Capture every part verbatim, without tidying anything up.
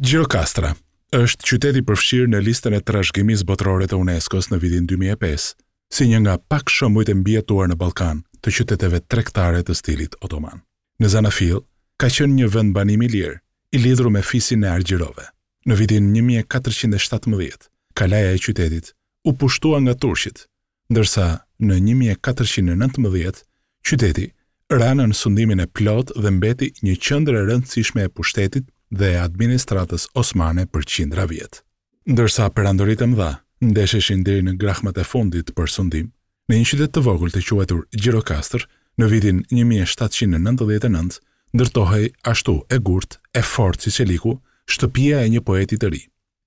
Gjirokastra është qytet i përfshirë në listën e trashëgimisë botërore të UNESCO-s në vitin dy mijë e pesë, si një nga pak shembujt e mbijetuar në Ballkan të qyteteve tregtare të stilit otoman. Në Zanafil ka qenë një vendbanim i lirë, i lidhur me fisin e Argjirove. Në vitin një mijë e katërqind e shtatëmbëdhjetë, kalaja e qytetit u pushtua nga turqit, ndërsa në një mijë e katërqind e nëntëmbëdhjetë qyteti ra nën sundimin e plotë dhe mbeti një qendër e rëndësishme e pushtetit dhe e administratës osmane për qindra vjet. Ndërsa perandoritë e mëdha ndesheshin deri në grahmat e fundit për sundim, në një qytet të vogël të quajtur Gjirokastër, në vitin një mijë e shtatëqind e nëntëdhjetë e nëntë, ndërtohej ashtu e gurt, e fortë si çeliku, shtëpia e një poeti të ri,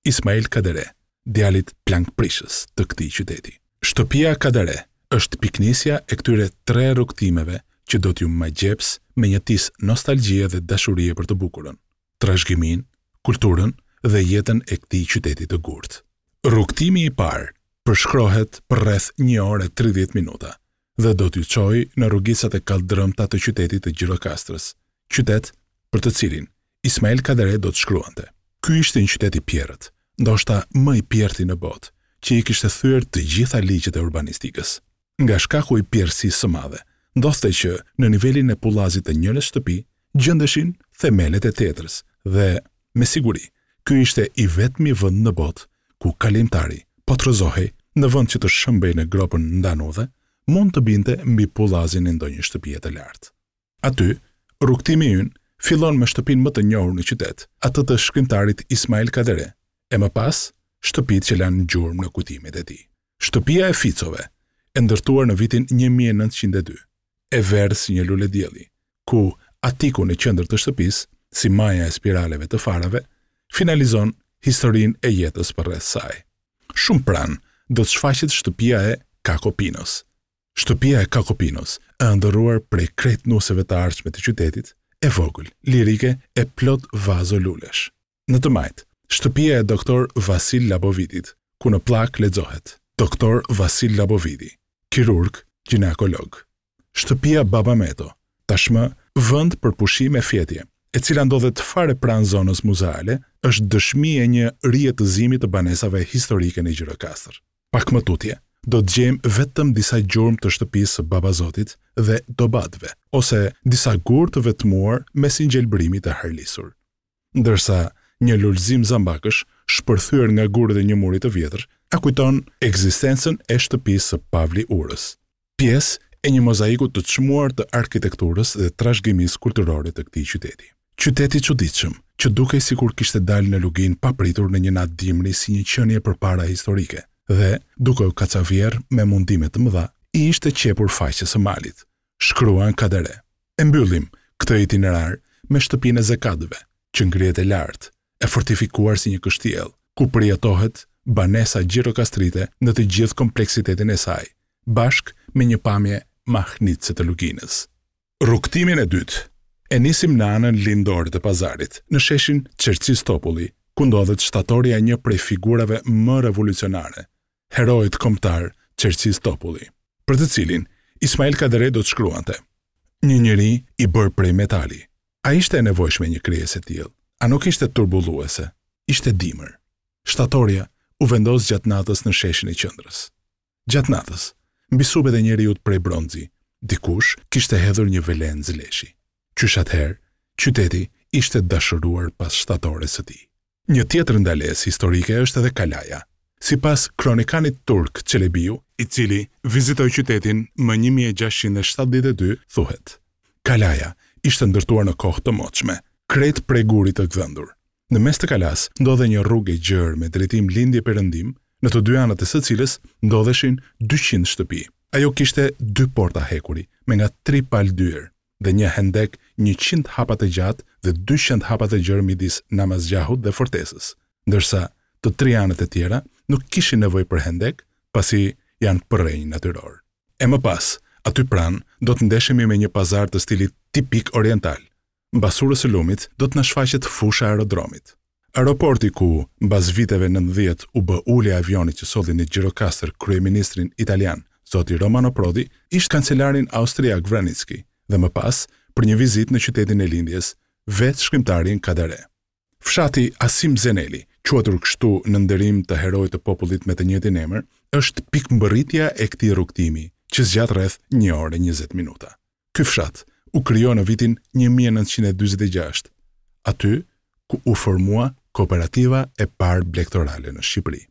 Ismail Kadare, djalit plankprishës të këtij qyteti. Shtëpia Kadare është pikënisja e këtyre tre rrugëtimeve që do t'ju magjeps me një tis nostalgjie dhe dashurie për të bukurën, trashëgiminë, kulturën dhe jetën e këtij qyteti të gurt. Rrugëtimi i parë përshkrohet për rreth një orë e tridhjetë minuta dhe do t'ju çojë në rrugicat e kalldrëmta të qytetit të Gjirokastrës, qytet për të cilin Ismail Kadare do të shkruante. Ky ishte një qytet i pjerrët, ndoshta më i pjerrti në botë, që i kishte thyer të gjitha ligjet e urbanistikës. Nga shkaku i pjerrësisë së madhe, ndodhte që në nivelin e pullazit të njërës shtëpi gjendeshin themelet e tjetrës dhe, me siguri, ky ishte i vetmi vend në botë ku kalimtari po të rrëzohej në vend që të shëmbej në gropën ndanudhe, mund të binte mbi pullazin e ndonjë shtëpie të lartë. Aty, rrugëtimi ynë fillon me shtëpinë më të njohur në qytet, atë të shkrimtarit Ismail Kadare, e më pas shtëpitë që lanë gjurmë në kujtimet e tij. Shtëpia e Ficove, e ndërtuar në vitin një mijë e nëntëqind e dy, e verdhë si një lule dielli, ku atiku në qendër të shtëpisë, si maja e spiraleve të farave, finalizon historinë e jetës përreth saj. Shumë pranë do të shfaqet shtëpia e Kakopinos. Shtëpia e Kakopinos, e ëndërruar prej krejt nuseve të ardhshme të qytetit, e vogël, lirike e plot vazo lulesh. Në të majtë, shtëpia e doktor Vasil Labovitit, ku në pllak lexohet Doktor Vasil Laboviti, kirurg, gjinekolog. Shtëpia Baba Meto, tashmë vend për pushim e fjetje, e cila ndodhet fare pranë zonës muzeale, është dëshmi e një rijetëzimi të banesave historike në Gjirokastër. Pak më tutje, do të gjejmë vetëm disa gjurmë të shtëpisë së Babazotit dhe Dobatëve, ose disa gurë të vetmuar mes një gjelbërimi të harlisur. Ndërsa një lulëzim zambakësh, shpërthyer nga gurët e një muri të vjetër, a kujton ekzistencën e shtëpisë së Pavli Urës, pjesë e një mozaiku të çmuar të arkitekturës dhe trashëgimisë kulturore të këtij qyteti. Qyteti i çuditshëm, që dukej sikur kishte dalë në luginë papritur në një natë dimri si një qenie përpara historike dhe, duke u kacavjerr me mundime të mëdha, i ishte qepur faqes së malit, shkruan Kadare. E mbyllim këtë itinerar me shtëpinë e Zekatëve, që ngrihet e lartë, e fortifikuar si një kështjellë, ku përjetohet banesa gjirokastrite në të gjithë kompleksitetin e saj, bashkë me një pamje mahnitëse të luginës. Rrugëtimin e dytë e nisim në anën lindore të pazarit, në sheshin Çerçiz Topulli, ku ndodhet shtatorja e një prej figurave më revolucionare, heroit kombëtar Çerçiz Topulli, për të cilin Ismail Kadare do të shkruante: Një njeri i bërë prej metali. A ishte e nevojshme një krijesë e tillë? A nuk ishte turbulluese? Ishte dimër. Shtatorja u vendos gjatë natës në sheshin e qendrës. Gjatë natës, mbi supet e njeriut prej bronzi, dikush kishte hedhur një velencë leshi. Qysh atëherë, qyteti ishte dashuruar pas shtatores së tij. Një tjetër ndalesë historike është edhe Kalaja. Sipas kronikanit turk Çelebiu, i cili vizitoi qytetin më një mijë e gjashtëqind e shtatëdhjetë e dy, thuhet: Kalaja ishte ndërtuar në kohë të moçme, krejt prej gurit të gdhendur. Në mes të kalas ndodhej një rrugë e gjerë me drejtim lindje-perëndim, në të dy anët e së cilës ndodheshin dyqind shtëpi. Ajo kishte dy porta hekuri me nga tri palë dyer dhe një hendek njëqind hapa të gjatë dhe dyqind hapa të gjerë midis Namazgjahut dhe fortesës, ndërsa të tri anët e tjera nuk kishin nevojë për hendek, pasi janë përrenj natyror. E më pas, aty pranë do të ndeshemi me një pazar të stilit tipik oriental. Mbas urës së lumit do të na shfaqet fusha e aerodromit. Aeroporti ku, mbas viteve nëntëdhjetë, u bë ulja e avionit që solli në Gjirokastër kryeministrin italian, zoti Romano Prodi, ish kancelarin austriak Vranitzky, dhe më pas, për një vizitë në qytetin e lindjes, vetë shkrimtarin Kadare. Fshati Asim Zeneli, quajtur kështu në nderim të heroit të popullit me të njëjtin emër, është pikëmbërritja e këtij rrugëtimi, që zgjat rreth një orë e njëzet minuta. Ky fshat u krijua në vitin një mijë e nëntëqind e dyzet e gjashtë, aty ku u formua kooperativa e parë blegtorale në Shqipëri.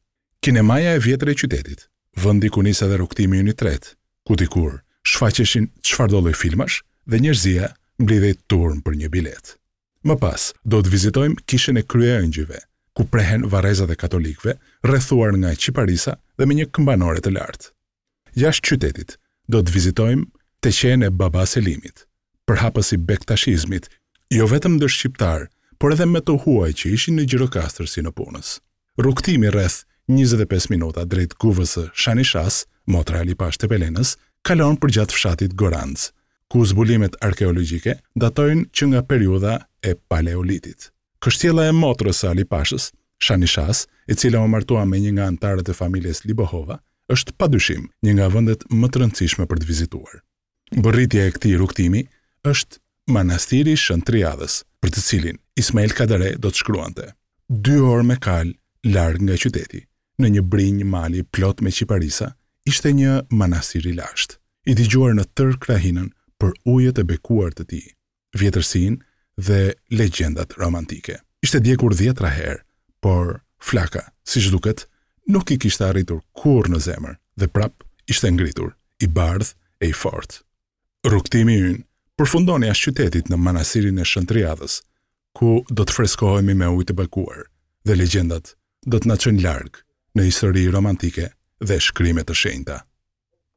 Kinemaja e vjetër e qytetit, vendi ku nis edhe rrugëtimi ynë i tretë, ku dikur shfaqeshin çfarëdo lloj filmash dhe njerëzia mblidhej turmë për një biletë. Më pas, do të vizitojmë Kishën e Kryeëngjëjve, ku prehen varrezat e katolikëve, rrethuar nga qiparisa dhe me një këmbanore të lartë. Jashtë qytetit, do të vizitojmë teqenë e Baba Selimit, përhapës i bektashizmit, jo vetëm ndër shqiptarë, por edhe me të huaj që ishin në Gjirokastër si nëpunës. Rrugëtimi rreth njëzet e pesë minuta drejt guvës së Shanishas, motra e Ali Pashë Tepelenës, kalon përgjatë fshatit Goranc, ku zbulimet arkeologjike datojnë që nga periudha e Paleolitit. Kështjella e motrës së Ali Pashës, Shanishas, e cila u martua me një nga anëtarët e familjes Libohova, është padyshim një nga vendet më të rëndësishme për të vizituar. Mbërritja e këtij rrugëtimi është Manastiri i Shën Triadhës, për të cilin Ismail Kadare do të shkruante: Dy orë me kalë larg nga qyteti, në një brinjë mali plot me qiparisa, ishte një manastir i lashtë, i dëgjuar në tërë krahinën për ujët e bekuar të tij, vjetërsinë dhe legjendat romantike. Ishte djegur dhjetra herë, por flaka, siç duket, nuk i kishte arritur kurrë në zemër dhe prap ishte ngritur, i bardhë e i fortë. Rrugëtimi ynë përfundon jashtë qytetit në manastirin e Shën Triadhës, ku do të freskohemi me ujë të bekuar dhe legjendat do të na çojnë larg në histori romantike dhe shkrime të shenjta.